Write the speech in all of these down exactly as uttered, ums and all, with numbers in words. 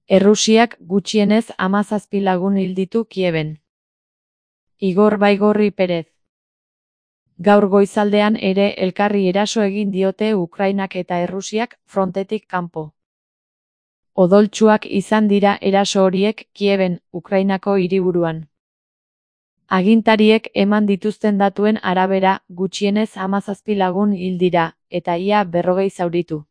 Errusiak gutxienez hamazazpi lagun hil ditu Kieben. Igor Baigorri Perez. Gaur goizaldean ere elkarri eraso egin diote Ukrainak eta Errusiak frontetik kanpo. Odoltsuak izan dira eraso horiek Kieben, Ukrainako hiriburuan. Agintariek eman dituzten datuen arabera, gutxienez hamazazpi lagun hil dira, eta ia berrogei zauritu.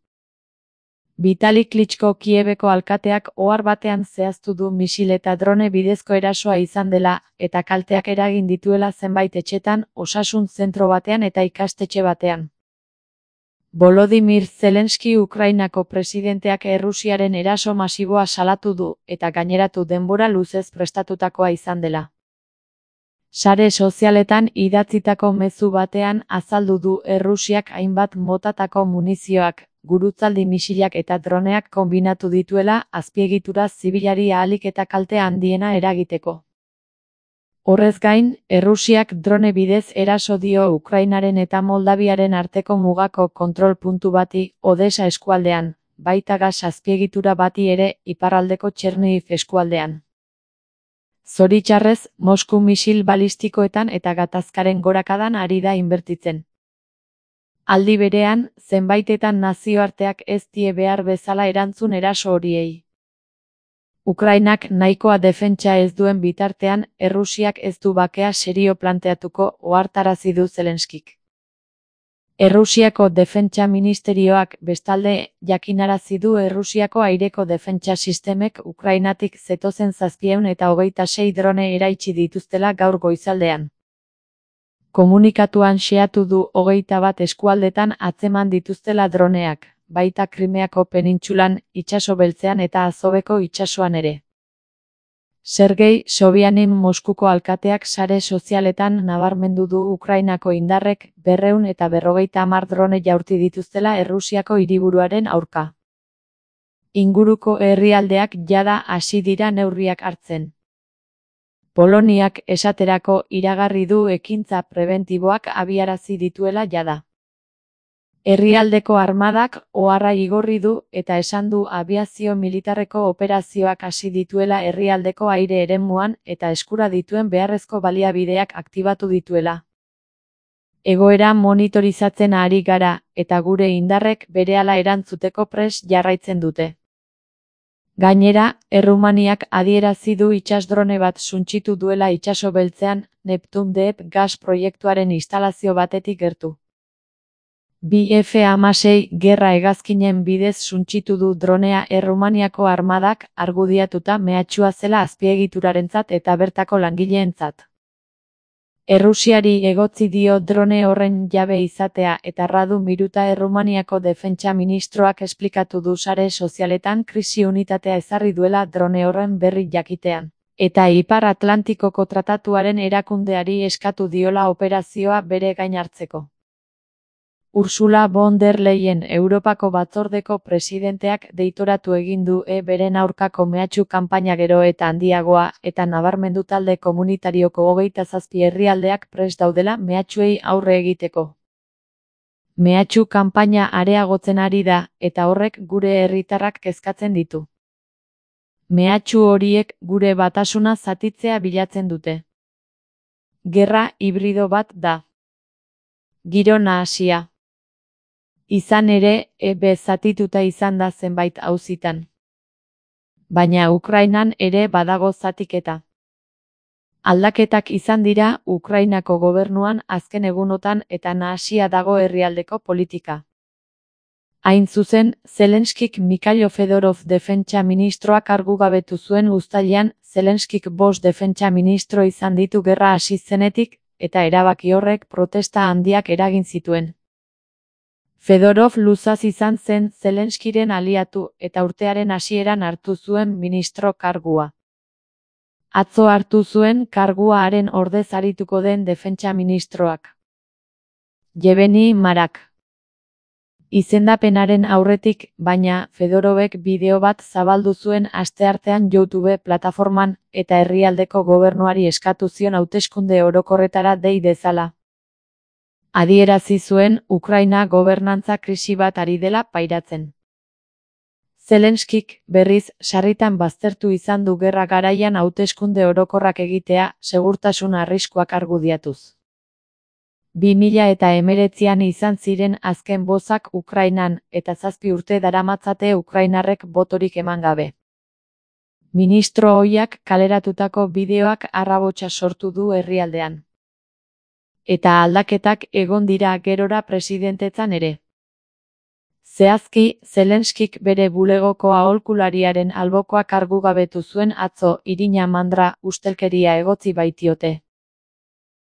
Vitali Klitschko Kiebeko alkateak ohar batean zehaztu du misil eta drone bidezko erasoa izan dela, eta kalteak eragin dituela zenbait etxetan, osasun zentro batean eta ikastetxe batean. Volodymyr Zelensky Ukrainako presidenteak Errusiaren eraso masiboa salatu du, eta gaineratu denbora luzez prestatutakoa izan dela. Sare sozialetan idatzitako mezu batean azaldu du Errusiak hainbat motatako munizioak, gurutzaldi misilak eta droneak konbinatu dituela azpiegitura zibilari ahalik eta kalte handiena eragiteko. Horrez gain, Errusiak drone bidez eraso dio Ukrainaren eta Moldaviaren arteko mugako kontrol puntu bati, Odessa eskualdean, baita gas azpiegitura bati ere, iparraldeko Chernihiv eskualdean. Zoritxarrez, Mosku misil balistikoetan eta gatazkaren gorakadan ari da inbertitzen. Aldi berean, zenbaitetan nazioarteak ez die behar bezala erantzun eraso horiei. Ukrainak nahikoa defentsa ez duen bitartean, Errusiak ez du bakea serio planteatuko, ohartarazi du Zelenskik. Errusiako defentsa ministerioak bestalde jakinarazi du Errusiako aireko defentsa sistemek Ukrainatik zetozen zazpiehun eta hogeita sei drone eraitsi dituztela gaur goizaldean. Komunikatuan xeatu du hogeita bat eskualdetan atzeman dituztela droneak, baita Krimeako penintsulan, itsaso beltzean eta Azoveko itsasoan ere. Sergei Sobyanin Moskuko alkateak sare sozialetan nabarmendu du Ukrainako indarrek berrehun eta berrogeita hamar drone jaurti dituztela Errusiako hiriburuaren aurka. Inguruko herrialdeak jada hasi dira neurriak hartzen. Poloniak esaterako iragarri du ekintza prebentiboak abiarazi dituela jada. Herrialdeko armadak oharra igorri du eta esan du abiazio militarreko operazioak hasi dituela herrialdeko aire eremuan eta eskura dituen beharrezko baliabideak aktibatu dituela. Egoera monitorizatzen ari gara eta gure indarrek berehala erantzuteko prest jarraitzen dute. Gainera, Errumaniak adierazi du itsasdrone bat suntsitu duela itsaso beltzean, Neptun Deep gas proiektuaren instalazio batetik gertu. B F hamasei gerra hegazkinen bidez suntsitu du dronea Errumaniako armadak argudiatuta mehatxua zela azpiegiturarentzat eta bertako langileentzat. Errusiari egotzi dio drone horren jabe izatea eta Radu Miruta Errumaniako defentsa ministroak esplikatu du sare sozialetan krisi unitatea ezarri duela drone horren berri jakitean, eta Ipar Atlantikoko tratatuaren erakundeari eskatu diola operazioa bere gain hartzeko. Ursula von der Leyen Europako batzordeko presidenteak deitoratu egin du e beren aurkako mehatxu kanpaina gero eta handiagoa eta nabarmendu talde komunitarioko hogeita zazpi herrialdeak prest daudela mehatxuei aurre egiteko. Mehatxu kanpaina areagotzen ari da eta horrek gure herritarrak kezkatzen ditu. Mehatxu horiek gure batasuna zatitzea bilatzen dute. Gerra hibrido bat da. Giro nahasia. Izan ere, E B zatituta izan da zenbait auzitan. Baina Ukrainan ere badago zatiketa. Aldaketak izan dira Ukrainako gobernuan azken egunotan eta nahasia dago herrialdeko politika. Hain zuzen, Zelenskik Mikhailo Fedorov defentsa ministroak kargugabetu zuen uztailean, Zelenskik bost defentsa ministro izan ditu gerra hasi zenetik, eta erabaki horrek protesta handiak eragin zituen. Fedorov luzaz izan zen Zelenskiren aliatu eta urtearen hasieran hartu zuen ministro kargua. Atzo hartu zuen kargua haren ordez arituko den defentsa ministroak. Yevgeny Marak. Izendapenaren aurretik, baina, Fedorovek bideo bat zabaldu zuen asteartean YouTube plataforman eta herrialdeko gobernuari eskatu zion hauteskunde orokorretara dei dezala. Adierazi zuen Ukraina gobernantza krisi bat ari dela pairatzen. Zelenskik, berriz, sarritan baztertu izan du gerra garaian hauteskunde orokorrak egitea, segurtasun arriskuak argudiatuz. bi mila eta hemeretzian izan ziren azken bozak Ukrainan, eta zazpi urte daramatzate ukrainarrek botorik eman gabe. Ministro ohiak kaleratutako bideoak arrabotsa sortu du herrialdean. Eta aldaketak egon dira gerora presidentetzan ere. Zehazki, Zelenskik bere bulegoko aholkulariaren albokoak kargugabetu zuen atzo, irina mandra, ustelkeria egotzi baitiote.